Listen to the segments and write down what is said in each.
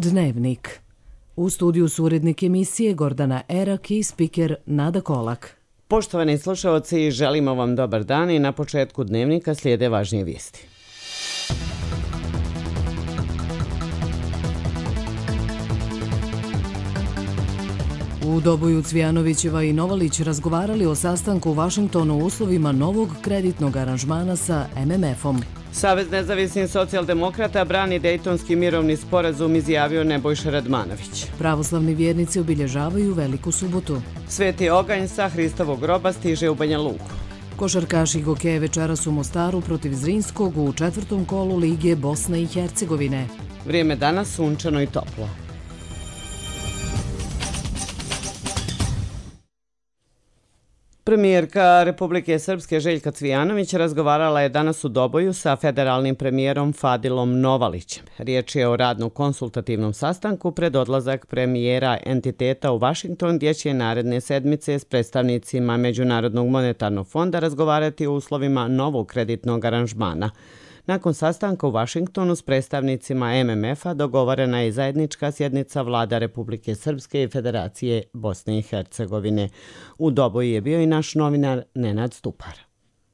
Dnevnik. U studiju su urednik emisije Gordana Erak i spiker Nada Kolak. Poštovani slušalci, želimo vam dobar dan i na početku Dnevnika slijede važnije vijesti. U Doboju Cvijanovićeva i Novalić razgovarali o sastanku u Vašingtonu u uslovima novog kreditnog aranžmana sa MMF-om. Savez nezavisnih socijaldemokrata brani Dejtonski mirovni sporazum, izjavio Nebojša Radmanović. Pravoslavni vjernici obilježavaju Veliku subotu. Sveti oganj sa Hristovog groba stiže u Banja Luku. Košarkaši hokeja večeras u Mostaru protiv Zrinskog u 4. kolu Lige Bosne i Hercegovine. Vrijeme danas sunčano i toplo. Premijerka Republike Srpske Željka Cvijanović razgovarala je danas u Doboju sa federalnim premijerom Fadilom Novalićem. Riječ je o radno-konsultativnom sastanku pred odlazak premijera entiteta u Vašington, gdje će naredne sedmice s predstavnicima Međunarodnog monetarnog fonda razgovarati o uslovima novog kreditnog aranžmana. Nakon sastanka u Vašingtonu s predstavnicima MMF-a dogovorena je zajednička sjednica vlada Republike Srpske i Federacije Bosne i Hercegovine. U Doboju je bio i naš novinar Nenad Stupar.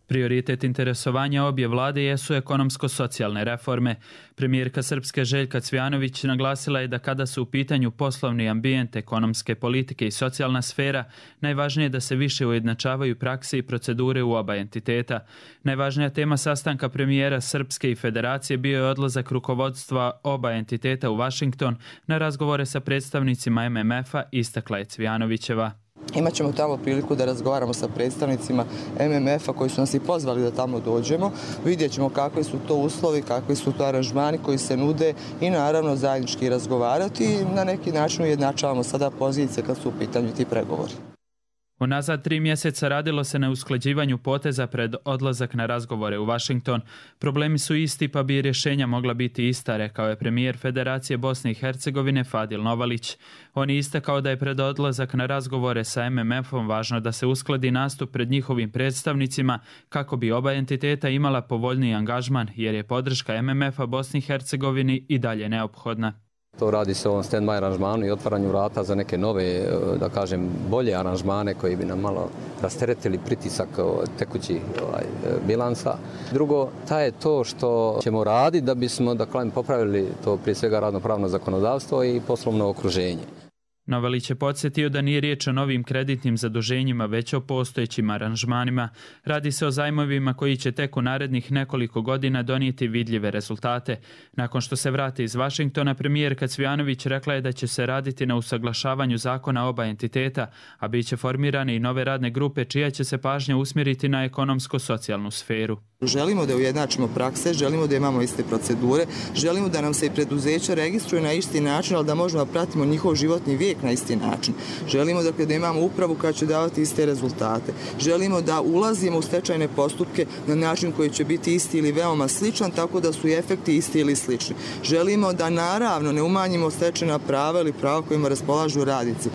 Prioritet interesovanja obje vlade jesu ekonomsko-socijalne reforme. Premijerka Srpske Željka Cvijanović naglasila je da kada su u pitanju poslovni ambijent, ekonomske politike i socijalna sfera, najvažnije je da se više ujednačavaju prakse i procedure u oba entiteta. Najvažnija tema sastanka premijera Srpske i Federacije bio je odlazak rukovodstva oba entiteta u Vašington na razgovore sa predstavnicima MMF-a, istakla je Cvijanovićeva. Imaćemo tamo priliku da razgovaramo sa predstavnicima MMF-a koji su nas i pozvali da tamo dođemo. Vidjet ćemo kakvi su to uslovi, kakvi su to aranžmani koji se nude i naravno zajednički razgovarati i na neki način ujednačavamo sada pozicije kad su u pitanju ti pregovori. Unazad 3 mjeseca radilo se na usklađivanju poteza pred odlazak na razgovore u Vašington. Problemi su isti pa bi rješenja mogla biti ista, rekao je premijer Federacije Bosne i Hercegovine Fadil Novalić. On je istakao da je pred odlazak na razgovore sa MMF-om važno da se uskladi nastup pred njihovim predstavnicima kako bi oba entiteta imala povoljniji angažman, jer je podrška MMF-a Bosni i Hercegovini i dalje neophodna. To radi se o ovom stand-by aranžmanu i otvaranju vrata za neke nove, da kažem, bolje aranžmane koji bi nam malo rasteretili pritisak tekućih bilansa. Drugo, ta je to što ćemo raditi da bismo, popravili to prije svega radno-pravno zakonodavstvo i poslovno okruženje. Novalić je podsjetio da nije riječ o novim kreditnim zaduženjima, već o postojećim aranžmanima. Radi se o zajmovima koji će tek u narednih nekoliko godina donijeti vidljive rezultate. Nakon što se vrati iz Vašingtona, premijerka Cvijanović rekla je da će se raditi na usaglašavanju zakona oba entiteta, a bit će formirane i nove radne grupe čija će se pažnja usmjeriti na ekonomsko-socijalnu sferu. Želimo da ujednačimo prakse, želimo da imamo iste procedure, želimo da nam se i preduzeća registruju na isti način, ali da možemo da pratimo njihov životni vijek na isti način. Želimo da imamo upravu koja će davati iste rezultate. Želimo da ulazimo u stečajne postupke na način koji će biti isti ili veoma sličan, tako da su i efekti isti ili slični. Želimo da naravno ne umanjimo stečajna prava ili prava kojima raspolažu radnici.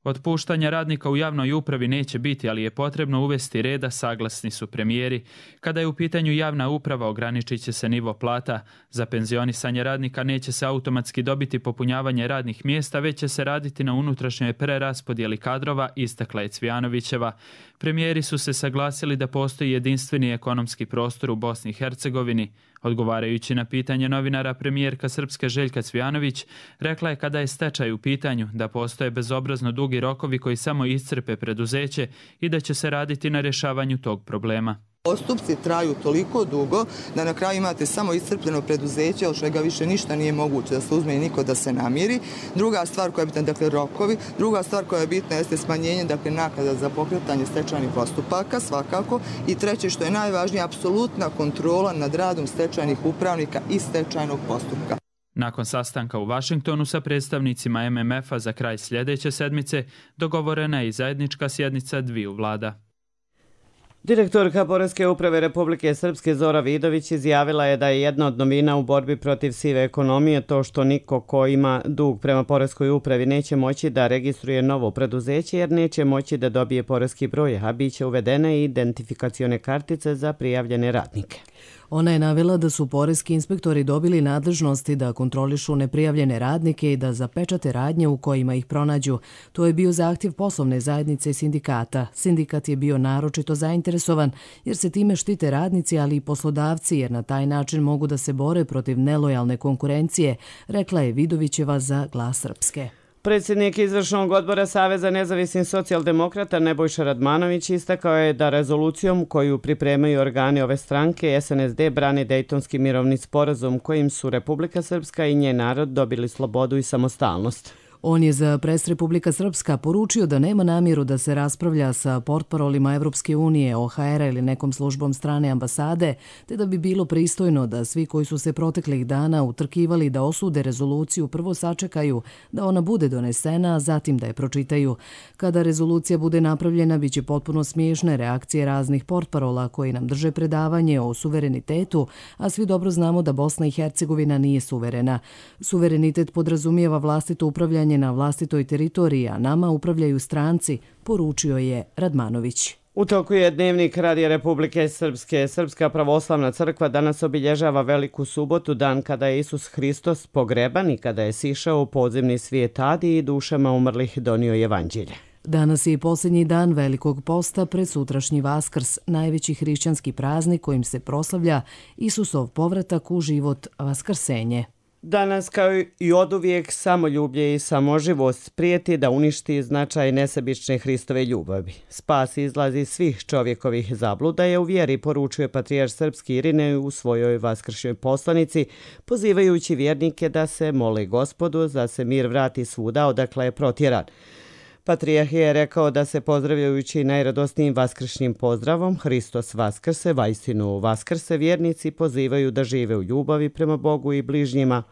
Otpuštanja radnika u javnoj upravi neće biti, ali je potrebno uvesti reda, saglasni su premijeri. Kada je u pitanju javna uprava, ograničit će se nivo plata. Za penzionisanje radnika neće se automatski dobiti popunjavanje radnih mjesta, već će se raditi na unutrašnjoj preraspodjeli kadrova, istakla je Cvijanovićeva. Premijeri su se saglasili da postoji jedinstveni ekonomski prostor u Bosni i Hercegovini. Odgovarajući na pitanje novinara, premijerka Srpske Željka Cvijanović rekla je kada je stečaj u pitanju da postoje bezobrazno dugi rokovi koji samo iscrpe preduzeće i da će se raditi na rješavanju tog problema. Postupci traju toliko dugo da na kraju imate samo iscrpljeno preduzeće, od čega više ništa nije moguće da se uzme i niko da se namiri. Druga stvar koja je bitna, rokovi. Druga stvar koja je bitna jeste smanjenje, naknada za pokretanje stečajnih postupaka, svakako. I treće, što je najvažnije, apsolutna kontrola nad radom stečajnih upravnika i stečajnog postupka. Nakon sastanka u Vašingtonu sa predstavnicima MMF-a za kraj sljedeće sedmice, dogovorena je i zajednička sjednica dviju vlada. Direktorka Poreske uprave Republike Srpske Zora Vidović izjavila je da je jedna od novina u borbi protiv sive ekonomije to što niko ko ima dug prema Poreskoj upravi neće moći da registruje novo preduzeće jer neće moći da dobije poreski broj, a bit će uvedene i identifikacione kartice za prijavljene radnike. Ona je navela da su poreski inspektori dobili nadležnosti da kontrolišu neprijavljene radnike i da zapečate radnje u kojima ih pronađu. To je bio zahtjev poslovne zajednice i sindikata. Sindikat je bio naročito zainteresovan jer se time štite radnici, ali i poslodavci, jer na taj način mogu da se bore protiv nelojalne konkurencije, rekla je Vidovićeva za Glas Srpske. Predsjednik izvršnog odbora Saveza nezavisnih socijaldemokrata Nebojša Radmanović istakao je da rezolucijom koju pripremaju organi ove stranke SNSD brani Dejtonski mirovni sporazum kojim su Republika Srpska i njen narod dobili slobodu i samostalnost. On je za Pres Republika Srpska poručio da nema namjeru da se raspravlja sa portparolima Evropske unije, OHR-a ili nekom službom strane ambasade, te da bi bilo pristojno da svi koji su se proteklih dana utrkivali da osude rezoluciju prvo sačekaju da ona bude donesena, a zatim da je pročitaju. Kada rezolucija bude napravljena, bit će potpuno smiješne reakcije raznih portparola koji nam drže predavanje o suverenitetu, a svi dobro znamo da Bosna i Hercegovina nije suverena. Suverenitet podrazumijeva vlastito upravljanje na vlastitoj teritoriji, a nama upravljaju stranci, poručio je Radmanović. U toku je Dnevnik Radija Republike Srpske. Srpska pravoslavna crkva danas obilježava Veliku subotu, dan kada je Isus Hristos pogreban i kada je sišao u podzemni svijet Adi i dušama umrlih donio evanđelje. Danas je i posljednji dan Velikog posta pred sutrašnji Vaskrs, najveći hrišćanski praznik kojim se proslavlja Isusov povratak u život, vaskrsenje. Danas, kao i oduvijek, samoljublje i samoživost prijeti da uništi značaj nesebične Hristove ljubavi. Spas izlazi iz svih čovjekovih zabluda je u vjeri, poručuje patrijarh srpski Irinej u svojoj vaskršnjoj poslanici, pozivajući vjernike da se mole Gospodu da se mir vrati svuda odakle je protjeran. Patrijarh je rekao da se pozdravljajući najradosnijim vaskršnjim pozdravom Hristos vaskrse, vaistinu vaskrse, vjernici pozivaju da žive u ljubavi prema Bogu i bližnjima,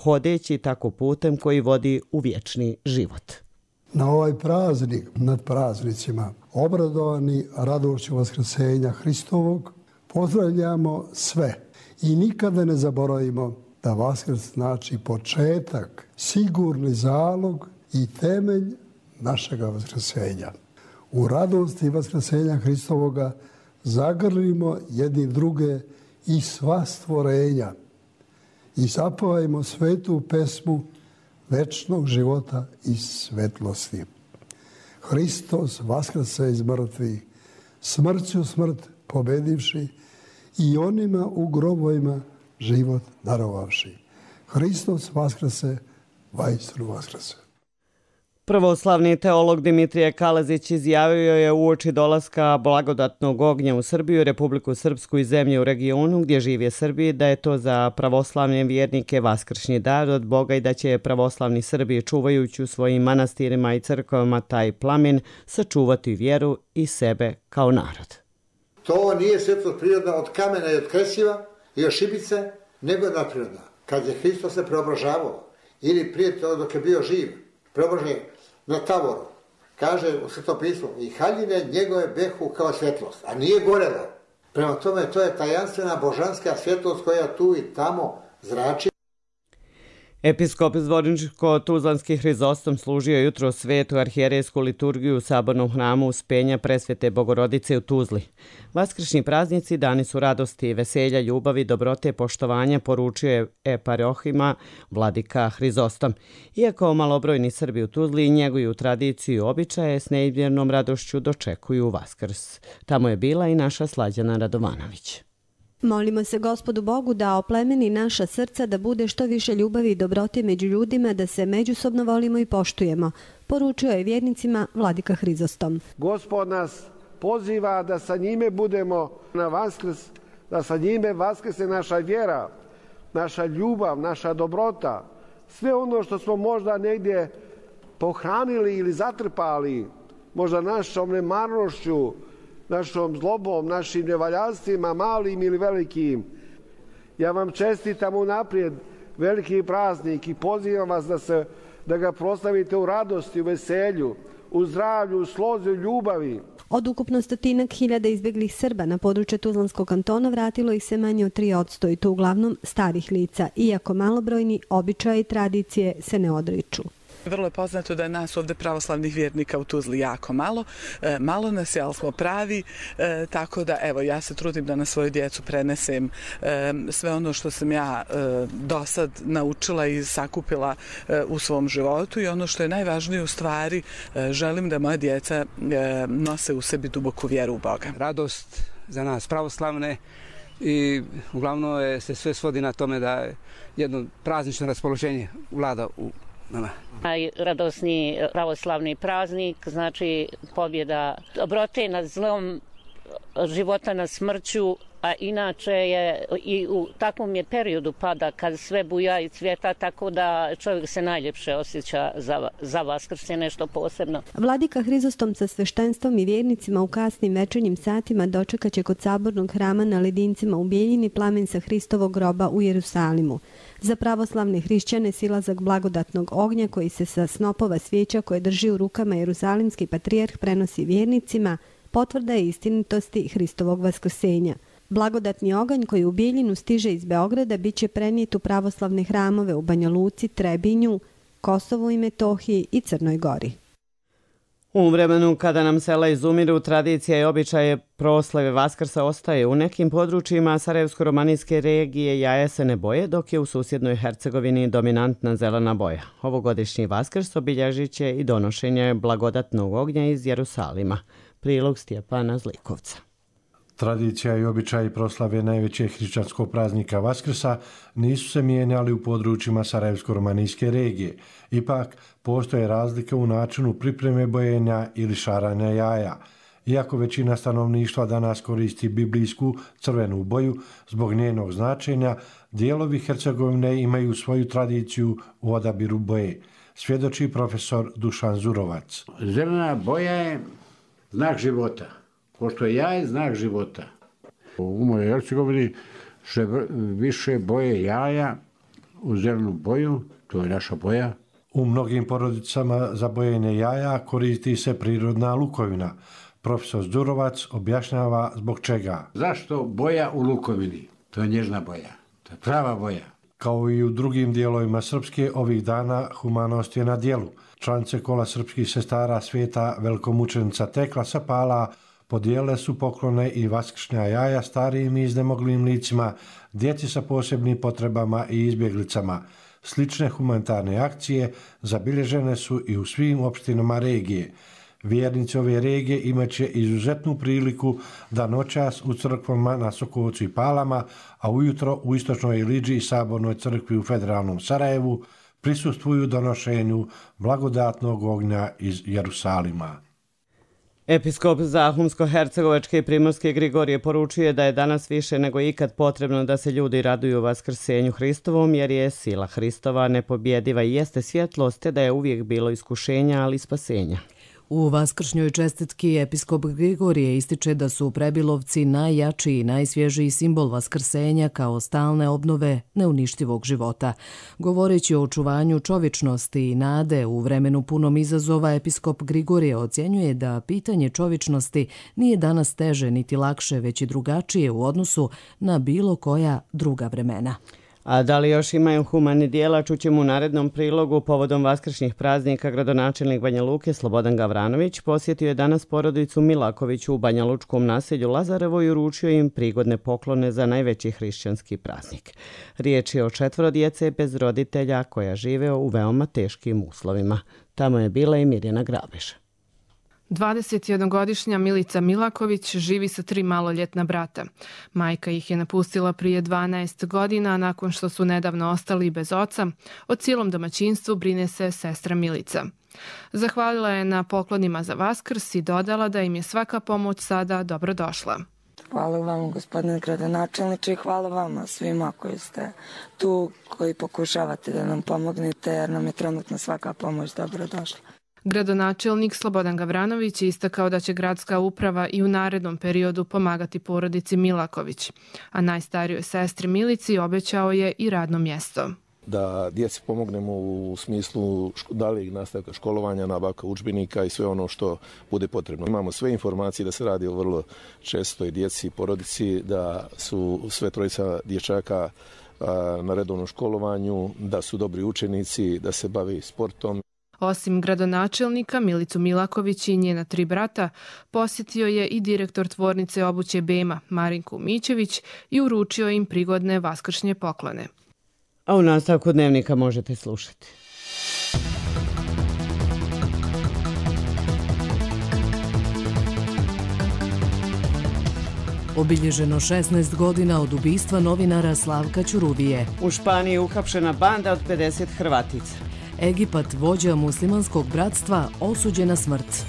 hodeći tako putem koji vodi u vječni život. Na ovaj praznik, nad praznicima, obradovani radošću vaskrsenja Hristovog, pozdravljamo sve i nikada ne zaboravimo da Vaskrs znači početak, sigurni zalog i temelj našega vaskrsenja. U radosti vaskrsenja Hristovoga zagrlimo jedni druge i sva stvorenja i zapevajmo svetu pesmu večnog života i svetlosti. Hristos vaskrse iz mrtvih, smrću smrt pobedivši i onima u grobovima život darovavši. Hristos vaskrse, vaistinu vaskrse. Pravoslavni teolog Dimitrije Kalezić izjavio je uoči dolaska blagodatnog ognja u Srbiju, Republiku Srpsku i zemlje u regionu gdje žive Srbi, da je to za pravoslavne vjernike vaskršnji dar od Boga i da će pravoslavni Srbi, čuvajući u svojim manastirima i crkvama taj plamen, sačuvati vjeru i sebe kao narod. To nije svjetlost prirodna od kamena i od kresiva i od šibice, nego je nadprirodna. Kad je Hristos se preobražavao ili prije to dok je bio živ, preobražen na Tavoru, kaže u Svetom pismu, i haljine njegove behu kao svjetlost, a nije gorelo. Prema tome, to je tajanstvena božanska svjetlost koja tu i tamo zrači. Episkop Zvorničko-Tuzlanski Hrizostom služio jutro svetu arhijerejsku liturgiju u sabornom hramu Uspenja Presvete Bogorodice u Tuzli. Vaskršnji praznici dani su radosti, veselja, ljubavi, dobrote, poštovanja, poručio je eparohima vladika Hrizostom. Iako malobrojni Srbi u Tuzli njeguju tradiciju i običaje, s neizmjernom radošću dočekuju Vaskrs. Tamo je bila i naša Slađana Radovanović. Molimo se Gospodu Bogu da oplemeni naša srca, da bude što više ljubavi i dobrote među ljudima, da se međusobno volimo i poštujemo, poručio je vjernicima vladika Hrizostom. Gospod nas poziva da sa njime budemo na Vaskrs, da sa njime vaskrse naša vjera, naša ljubav, naša dobrota, sve ono što smo možda negdje pohranili ili zatrpali, možda našom nemarnošću, našom zlobom, našim nevaljanstvima, malim ili velikim. Ja vam čestitam unaprijed veliki praznik i pozivam vas da ga proslavite u radosti, u veselju, u zdravlju, u slozi, u ljubavi. Od ukupno 100.000 izbjeglih Srba na području Tuzlanskog kantona vratilo ih se manje od 3% i to uglavnom starih lica, iako malobrojni običaji i tradicije se ne odriču. Vrlo je poznato da je nas ovde pravoslavnih vjernika u Tuzli jako malo. Malo nas je, ali smo pravi, tako da evo ja se trudim da na svoju djecu prenesem sve ono što sam ja do sad naučila i sakupila u svom životu i ono što je najvažnije u stvari, želim da moja djeca nose u sebi duboku vjeru u Boga. Radost za nas pravoslavne i uglavnom se sve svodi na tome da jedno praznično raspoloženje vlada u nama. Najradosniji pravoslavni praznik, znači pobjeda dobrote nad zlom, života nad smrću, a inače je i u takvom je periodu pada kad sve buja i cvjeta, tako da čovjek se najljepše osjeća za Vaskrs je nešto posebno. Vladika Hrizostom sa sveštenstvom i vjernicima u kasnim večernjim satima dočekat će kod sabornog hrama na Ledincima u Bijeljini plamen sa Hristovog groba u Jerusalimu. Za pravoslavne hrišćane silazak blagodatnog ognja koji se sa snopova svijeća koje drži u rukama jerusalimski patrijarh prenosi vjernicima, potvrda je istinitosti Hristovog vaskrsenja. Blagodatni oganj koji u Bijeljinu stiže iz Beograda bit će prenijet u pravoslavne hramove u Banja Luci, Trebinju, Kosovu i Metohiji i Crnoj Gori. U vremenu kada nam sela izumiru, tradicija i običaje proslave Vaskrsa ostaje. U nekim područjima Sarajevsko-romanijske regije jaja se ne boje, dok je u susjednoj Hercegovini dominantna zelena boja. Ovogodišnji Vaskrs obilježit će i donošenje blagodatnog ognja iz Jerusalima. Prilog Stjepana Zlikovca. Tradicija i običaji proslave najvećeg hrišćanskog praznika Vaskrsa nisu se mijenjali u područjima Sarajevsko-romanijske regije. Ipak, postoje razlike u načinu pripreme bojenja ili šaranja jaja. Iako većina stanovništva danas koristi biblijsku crvenu boju zbog njenog značenja, dijelovi Hercegovine imaju svoju tradiciju u odabiru boje, svjedoči profesor Dušan Zurovac. Zelena boja je znak života. Pošto je jaje znak života. U mojoj Hercegovini se više boje jaja u zelenu boju, to je naša boja. U mnogim porodicama za bojenje jaja koristi se prirodna lukovina. Profesor Zdurovac objašnjava zbog čega. Zašto boja u lukovini? To je nježna boja, to je prava boja. Kao i u drugim dijelovima Srpske, ovih dana humanost je na djelu. Članice kola srpskih sestara svijeta velikomučenica Tekla Sapala podijele su poklone i vaskršnja jaja starijim i iznemoglim licima, djeci sa posebnim potrebama i izbjeglicama. Slične humanitarne akcije zabilježene su i u svim opštinama regije. Vjernici ove regije imat će izuzetnu priliku da noćas u crkvama na Sokovcu i Palama, a ujutro u Istočnoj Iliđi i Sabornoj crkvi u Federalnom Sarajevu prisustvuju donošenju blagodatnog ognja iz Jerusalima. Episkop Zahumsko-hercegovačke i Primorske Grigorije poručuje da je danas više nego ikad potrebno da se ljudi raduju Vaskrsenju Hristovom, jer je sila Hristova nepobjediva i jeste svjetlost, te da je uvijek bilo iskušenja, ali i spasenja. U vaskršnjoj čestitki episkop Grigorije ističe da su prebilovci najjači i najsvježiji simbol vaskrsenja kao stalne obnove neuništivog života. Govoreći o očuvanju čovječnosti i nade u vremenu punom izazova, episkop Grigorije ocjenjuje da pitanje čovječnosti nije danas teže niti lakše, već i drugačije u odnosu na bilo koja druga vremena. A da li još imaju humani dijela, čućemo u narednom prilogu. Povodom vaskršnjih praznika gradonačelnik Banja Luke Slobodan Gavranović posjetio je danas porodicu Milaković u banjalučkom naselju Lazarevo i uručio im prigodne poklone za najveći hrišćanski praznik. Riječ je o 4 djece bez roditelja koja žive u veoma teškim uslovima. Tamo je bila i Mirjana Grabež. 21-godišnja Milica Milaković živi sa 3 maloljetna brata. Majka ih je napustila prije 12 godina, nakon što su nedavno ostali bez oca. O cijelom domaćinstvu brine se sestra Milica. Zahvalila je na poklonima za Vaskrs i dodala da im je svaka pomoć sada dobrodošla. Hvala vam, gospodine gradonačelniče, i hvala vama svima koji ste tu, koji pokušavate da nam pomognete, jer nam je trenutno svaka pomoć dobrodošla. Gradonačelnik Slobodan Gavranović je istakao da će gradska uprava i u narednom periodu pomagati porodici Milaković, a najstarijoj sestri Milici obećao je i radno mjesto. Da djeci pomognemo u smislu daljeg nastavka školovanja, nabavka udžbenika i sve ono što bude potrebno. Imamo sve informacije da se radi o vrlo čestoj djeci i porodici, da su sve 3 dječaka na redovnom školovanju, da su dobri učenici, da se bave sportom. Osim gradonačelnika Milicu Milaković i njena 3 brata, posjetio je i direktor tvornice obuće Bema Marinku Mićević i uručio im prigodne vaskršnje poklone. A u nastavku dnevnika možete slušati. Obilježeno 16 godina od ubistva novinara Slavka Ćuruvije. U Španiji uhapšena banda od 50 Hrvatica. Egipat, vođa muslimanskog bratstva, osuđen na smrt.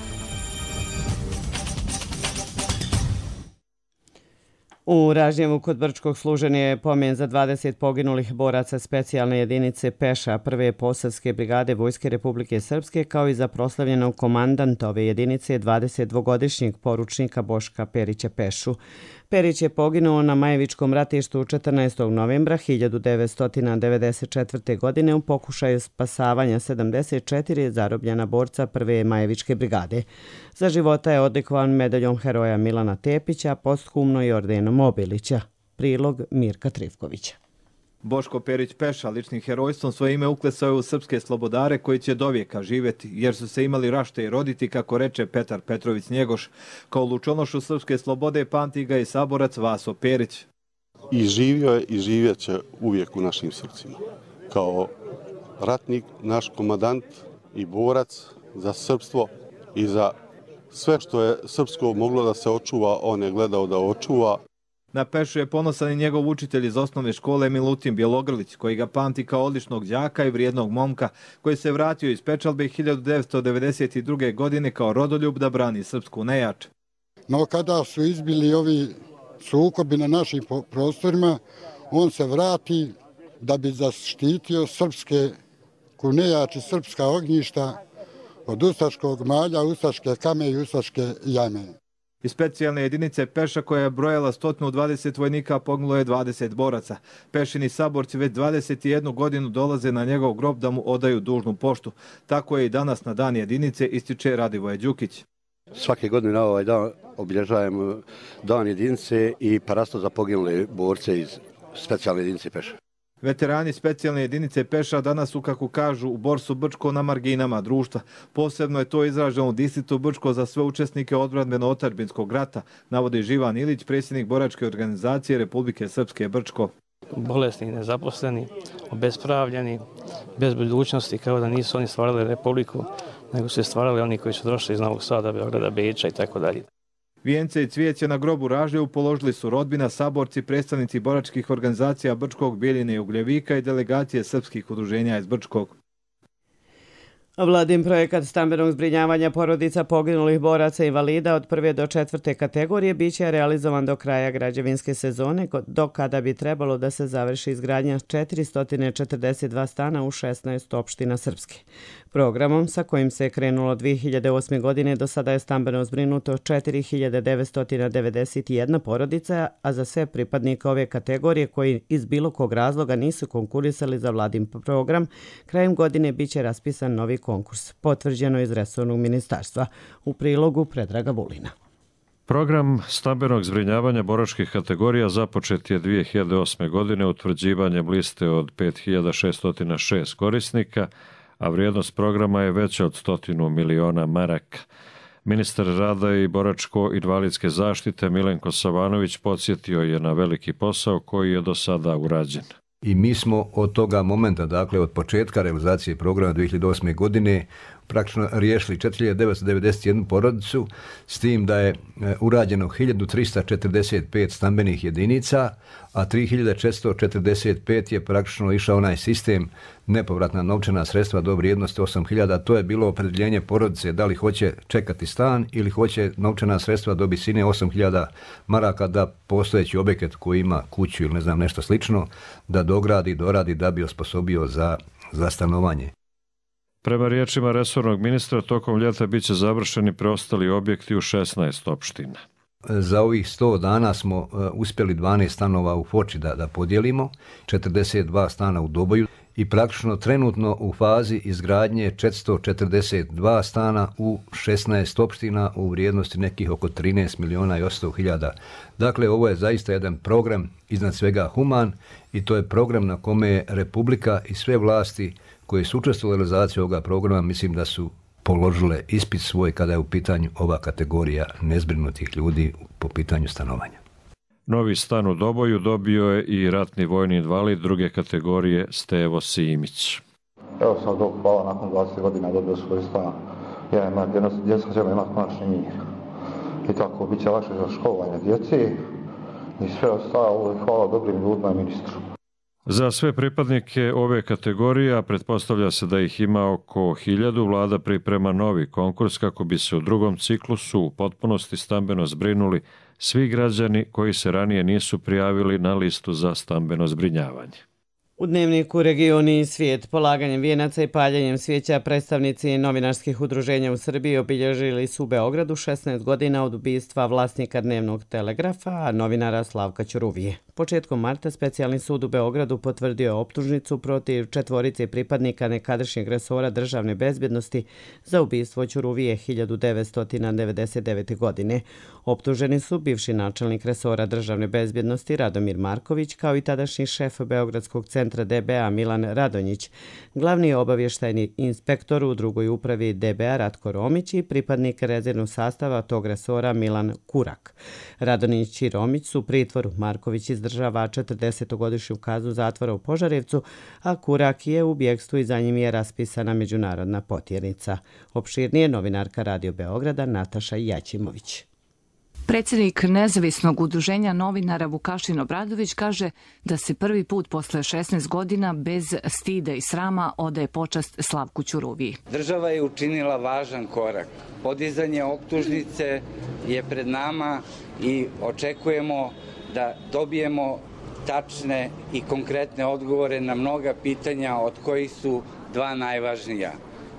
U Ražnjevu kod Brčkog služen je pomen za 20 poginulih boraca specijalne jedinice Peša prve posavske brigade Vojske Republike Srpske, kao i za proslavljenog komandanta ove jedinice 22-godišnjeg poručnika Boška Perića Pešu. Perić je poginuo na Majevičkom ratištu 14. novembra 1994. godine u pokušaju spasavanja 74 zarobljena borca prve Majevičke brigade. Za života je odlikovan medaljom heroja Milana Tepića, posthumno i ordenom Obilića. Prilog Mirka Trivkovića. Boško Perić Peša ličnim herojstvom svoje ime uklesao je u srpske slobodare koji će dovijeka živjeti, jer su se imali rašte i roditi, kako reče Petar Petrović Njegoš. Kao lučonošu srpske slobode pamti ga i saborac Vaso Perić. I živio je i živjet će uvijek u našim srcima. Kao ratnik, naš komandant i borac za srpstvo i za sve što je srpsko moglo da se očuva, on je gledao da očuva. Na Pešu je ponosan i njegov učitelj iz osnovne škole Milutin Bjelogrlić, koji ga pamti kao odličnog đaka i vrijednog momka, koji se vratio iz Pečalbe 1992. godine kao rodoljub da brani srpsku nejač. No kada su izbili ovi sukobi na našim prostorima, on se vrati da bi zaštitio srpske kunejači, srpska ognjišta od ustaškog malja, ustaške kame i ustaške jame. Iz specijalne jedinice Peša, koja je brojala 120 vojnika, poginulo je 20 boraca. Pešini saborci već 21 godinu dolaze na njegov grob da mu odaju dužnu poštu. Tako je i danas na dan jedinice, ističe Radivoje Đukić. Svake godine na ovaj dan obilježavamo dan jedinice i parasto za poginule borce iz specijalne jedinice Peša. Veterani specijalne jedinice Peša danas su, kako kažu, u Borsu Brčko na marginama društva. Posebno je to izraženo u distriktu Brčko za sve učesnike odbranbeno-otadžbinskog rata, navodi Živan Ilić, predsjednik boračke organizacije Republike Srpske Brčko. Bolesni, nezaposleni, obespravljeni, bez budućnosti, kao da nisu oni stvarali republiku, nego su stvarali oni koji su došli iz Novog Sada, Beograda, Beča i tako dalje. Vijence i cvijeće na grobu Ražljevu položili su rodbina, saborci, predstavnici boračkih organizacija Brčkog, Bijeljine i Ugljevika i delegacije srpskih udruženja iz Brčkog. Vladin projekat stambenog zbrinjavanja porodica poginulih boraca i invalida od 1. do 4. kategorije biće realizovan do kraja građevinske sezone, do kada bi trebalo da se završi izgradnja 442 stana u 16 opština Srpske. Programom sa kojim se je krenulo 2008. godine do sada je stambeno zbrinuto 4991 porodica, a za sve pripadnike ove kategorije koji iz bilo kog razloga nisu konkurisali za vladin program, krajem godine biće raspisan novi konkurs, potvrđeno iz resornog ministarstva. U prilogu Predraga Vulina. Program stambenog zbrinjavanja boračkih kategorija započet je 2008. godine utvrđivanjem liste od 5606 korisnika, a vrijednost programa je veća od 100 miliona maraka. Ministar rada i boračko-invalidske zaštite Milenko Savanović podsjetio je na veliki posao koji je do sada urađen. I mi smo od toga momenta, dakle od početka realizacije programa 2008. godine, praktično riješili 4991 porodicu, s tim da je urađeno 1345 stambenih jedinica, a 3445 je praktično išao onaj sistem nepovratna novčana sredstva do vrijednosti 8000. To je bilo opredjeljenje porodice da li hoće čekati stan ili hoće novčana sredstva do visine 8000 maraka da postojeći objekat koji ima kuću ili ne znam nešto slično da dogradi, doradi da bi osposobio za stanovanje. Prema riječima resornog ministra, tokom ljeta biće završeni preostali objekti u 16 opština. Za ovih 100 dana smo uspjeli 12 stanova u Foči da podijelimo, 42 stana u Doboju i praktično trenutno u fazi izgradnje 442 stana u 16 opština u vrijednosti nekih oko 13 miliona i 800 hiljada. Dakle, ovo je zaista jedan program iznad svega human i to je program na kome je Republika i sve vlasti koje su učestvovale u realizaciji ovoga programa, mislim da su položile ispit svoj kada je u pitanju ova kategorija nezbrinutih ljudi po pitanju stanovanja. Novi stan u Doboju dobio je i ratni vojni invalid druge kategorije Stevo Simić. Evo sad Bog hvala, nakon 20 godina dobio svoj stan. Djeca žele imati konačni mir. I tako bit će lakše za školovanje djece i sve ostalo. Hvala dobrim ljudima i ministru. Za sve pripadnike ove kategorije, a pretpostavlja se da ih ima oko 1000, vlada priprema novi konkurs kako bi se u drugom ciklusu u potpunosti stambeno zbrinuli svi građani koji se ranije nisu prijavili na listu za stambeno zbrinjavanje. U dnevniku Regioni i svijet polaganjem vijenaca i paljenjem svijeća predstavnici novinarskih udruženja u Srbiji obilježili su u Beogradu 16 godina od ubistva vlasnika Dnevnog telegrafa, a novinara Slavka Ćuruvije. Početkom marta specijalni sud u Beogradu potvrdio je optužnicu protiv 4 pripadnika nekadašnjeg resora državne bezbjednosti za ubistvo Ćuruvije 1999. godine. Optuženi su bivši načelnik resora državne bezbjednosti Radomir Marković, kao i tadašnji šef Beogradskog centra DBA Milan Radonjić, glavni obavještajni inspektor u drugoj upravi DBA Ratko Romić i pripadnik rezervnog sastava tog resora Milan Kurak. Radonjić i Romić su u pritvoru. Marković izdržava 40-godišnju kaznu zatvora u Požarevcu, a Kurak je u bjegstvu i za njim je raspisana međunarodna potjernica. Opširnije novinarka Radio Beograda Nataša Jaćimović. Predsjednik nezavisnog udruženja novinara Vukašin Obradović kaže da se prvi put posle 16 godina bez stida i srama odaje počast Slavku Ćuruviji. Država je učinila važan korak. Podizanje optužnice je pred nama i očekujemo da dobijemo tačne i konkretne odgovore na mnoga pitanja, od kojih su dva najvažnija.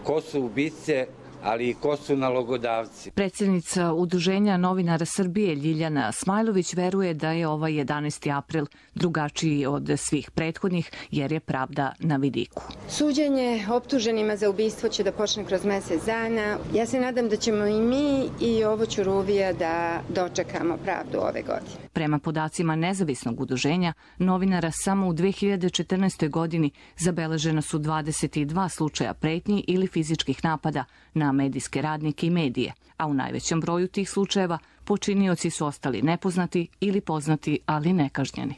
Ko su ubice, ali i ko su nalogodavci. Predsjednica Udruženja novinara Srbije Ljiljana Smajlović veruje da je ovaj 11. april drugačiji od svih prethodnih, jer je pravda na vidiku. Suđenje optuženima za ubistvo će da počne kroz mjesec dana. Ja se nadam da ćemo i mi i ovo Ćuruvija da dočekamo pravdu ove godine. Prema podacima nezavisnog udruženja novinara, samo u 2014. godini zabeležena su 22 slučaja pretnji ili fizičkih napada na medijske radnike i medije, a u najvećem broju tih slučajeva počinioci su ostali nepoznati ili poznati, ali nekažnjeni.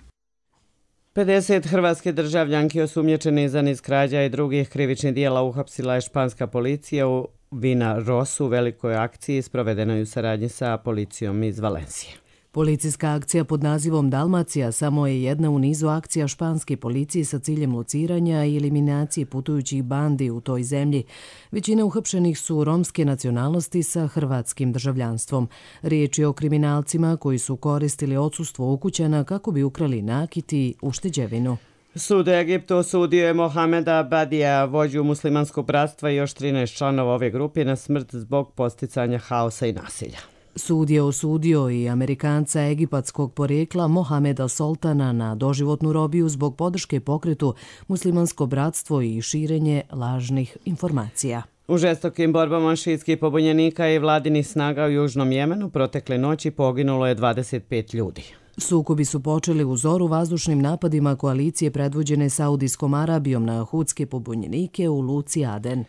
50 hrvatske državljanki osumnjičene za niz krađa i drugih krivičnih dijela uhapsila je španska policija u Vina Rosu u velikoj akciji sprovedenoj u saradnji sa policijom iz Valencije. Policijska akcija pod nazivom Dalmacija samo je jedna u nizu akcija španske policije sa ciljem lociranja i eliminacije putujućih bandi u toj zemlji. Većina uhapšenih su romske nacionalnosti sa hrvatskim državljanstvom. Riječ je o kriminalcima koji su koristili odsustvo ukućana kako bi ukrali nakit i ušteđevinu. Sud Egiptu osudio je Mohameda Badija, vođu muslimanskog bratstva i još 13 članova ove grupe na smrt zbog posticanja haosa i nasilja. Sud je osudio i Amerikanca egipatskog porijekla Mohameda Soltana na doživotnu robiju zbog podrške pokretu Muslimansko bratstvo i širenje lažnih informacija. U žestokim borbama šiitskih pobunjenika i vladinih snaga u Južnom Jemenu protekle noći poginulo je 25 ljudi. Sukobi su počeli u zoru vazdušnim napadima koalicije predvođene Saudijskom Arabijom na hudske pobunjenike u luci Aden.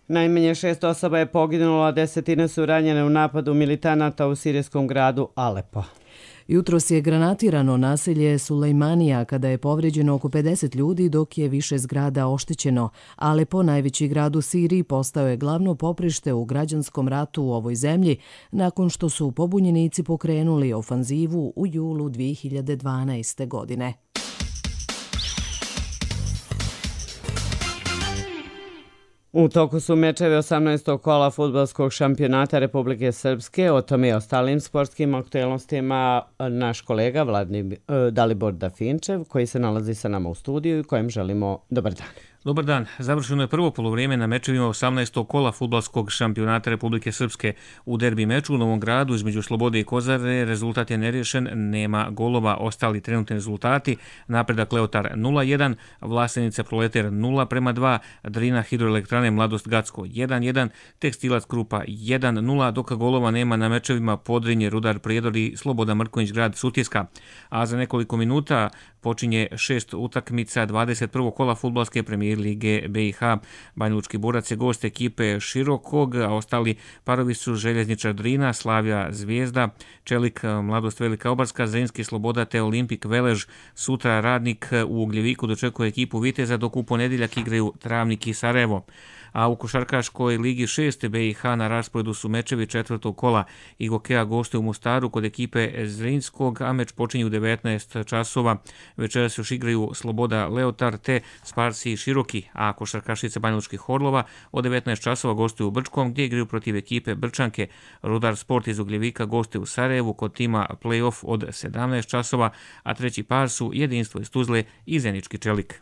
Najmanje 6 osoba je poginulo, a 10 su ranjene u napadu militanata u sirijskom gradu Alepo. Jutros je granatirano naselje Sulejmanija kada je povređeno oko 50 ljudi, dok je više zgrada oštećeno. Alepo, najveći grad u Siriji, postao je glavno poprište u građanskom ratu u ovoj zemlji nakon što su pobunjenici pokrenuli ofanzivu u julu 2012. godine. U toku su mečevi 18. kola fudbalskog šampionata Republike Srpske. O tome i ostalim sportskim aktualnostima naš kolega Dalibor Dafinčev, koji se nalazi sa nama u studiju i kojem želimo dobar dan. Dobar dan. Završeno je prvo polovrijeme na mečevima 18. kola fudbalskog šampionata Republike Srpske. U derbi meču u Novom Gradu između Slobode i Kozare rezultat je neriješen, nema golova. Ostali trenutni rezultati: napredak Leotar 0-1, Vlasenica Proleter 0-2, Drina Hidroelektrane Mladost Gacko 1-1, Tekstilac Krupa 1-0, dok golova nema na mečevima Podrinje, Rudar Prijedor i Sloboda Mrkonjić Grad Sutjeska. A za nekoliko minuta počinje 6 utakmica 21. kola fudbalske premijere Premier lige BiH. Banjalučki borac je gost ekipe Širokog, a ostali parovi su Željezničar Drina, Slavija Zvijezda, Čelik Mladost Velika Obarska, Zrinski Sloboda te Olimpik Velež. Sutra Radnik u Ugljeviku dočekuje ekipu Viteza, dok u ponedjeljak igraju Travnik i Sarajevo. A u košarkaškoj ligi 6. BiH na rasporedu su mečevi četvrtog kola. Igokea gostuje u Mostaru kod ekipe Zrinskog, a meč počinje u 19 časova. Večeras još igraju Sloboda Leotar te Sparsi Široki, a košarkašice Banjalučkih Orlova od 19 časova gostuju u Brčkom, gdje igraju protiv ekipe Brčanke. Rudar Sport iz Ugljevika gostuje u Sarajevu kod tima Playoff od 17 časova, a treći par su Jedinstvo iz Tuzle i Zenički Čelik.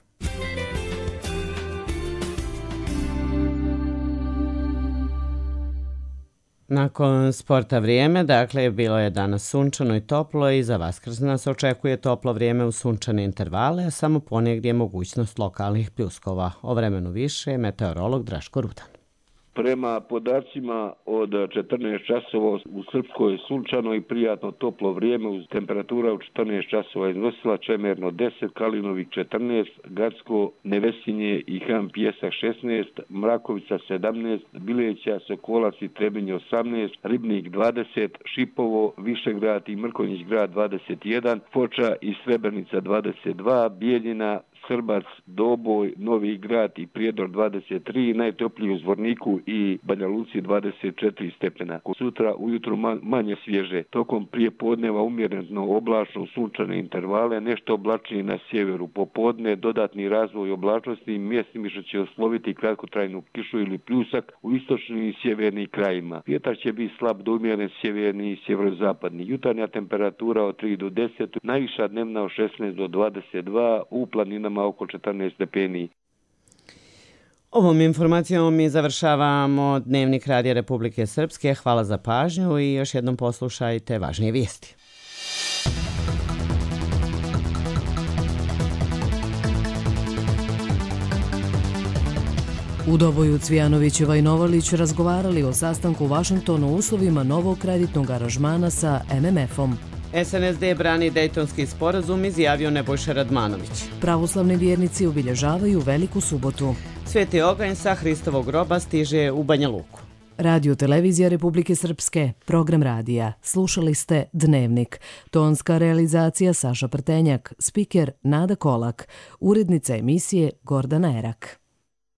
Nakon sporta vrijeme, dakle, bilo je danas sunčano i toplo i za Vaskrs nas očekuje toplo vrijeme u sunčane intervale, a samo ponegdje je mogućnost lokalnih pljuskova. O vremenu više, meteorolog Draško Rudan. Prema podacima od 14 časova u Srpskoj sunčano i prijatno toplo vrijeme uz temperatura u 14 časova iznosila Čemerno 10, Kalinovik 14, Gacko, Nevesinje i Han Pjesak 16, Mrakovica 17, Bileća, Sokolac i Trebinje 18, Ribnik 20, Šipovo, Višegrad i Mrkonjić grad 21, Foča i Srebrenica 22, Bijeljina, Srbac, Doboj, Novi Grad i Prijedor 23, najtopliji u Zvorniku i Banja Luci 24 stepena. Sutra ujutro manje svježe, tokom prijepodneva umjereno oblačno sunčane intervale, nešto oblačnije na sjeveru. Popodne dodatni razvoj oblačnosti, mjestimično će osloviti kratkotrajnu kišu ili pljusak u istočnim i sjevernim krajima. Vjetar će biti slab do umjeren sjeverni i sjeverozapadni. Jutarnja temperatura od 3 do 10, najviša dnevna od 16 do 22, u planinama oko 14 stepeni. Ovom informacijom mi završavamo Dnevnik Radija Republike Srpske. Hvala za pažnju i još jednom poslušajte važnije vijesti. U Doboju Cvijanovićeva i Novalić razgovarali o sastanku u Vašingtonu o uslovima novog kreditnog aranžmana sa MMF-om. SNSD brani Dejtonski sporazum, izjavio Nebojša Radmanović. Pravoslavni vjernici obilježavaju Veliku subotu. Sveti oganj sa Hristovog groba stiže u Banja Luku. Radio Televizija Republike Srpske, program radija. Slušali ste Dnevnik. Tonska realizacija Saša Prtenjak, spiker Nada Kolak, urednica emisije Gordana Erak.